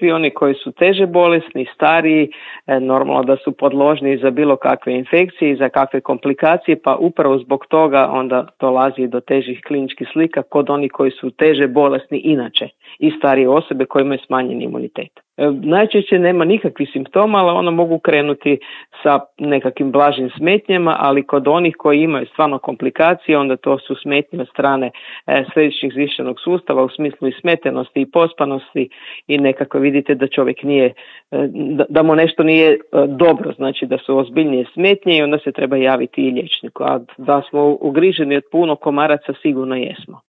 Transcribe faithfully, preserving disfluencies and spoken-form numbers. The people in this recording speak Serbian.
svi oni koji su teže bolesni, stariji, normalno da su podložni za bilo kakve infekcije i za kakve komplikacije, pa upravo zbog toga onda dolazi do težih kliničkih slika kod onih koji su teže bolesni inače i starije osobe koje imaju smanjeni imunitet. Najčešće nema nikakvih simptoma, ali ono mogu krenuti sa nekakvim blažim smetnjama, ali kod onih koji imaju stvarno komplikacije, onda to su smetnje od strane e, središnjeg živčanog sustava u smislu i smetenosti i pospanosti i nekako vidite da čovjek nije, e, da, da mu nešto nije e, dobro, znači da su ozbiljnije smetnje i onda se treba javiti i liječniku. A da smo ugriženi od puno komaraca sigurno jesmo.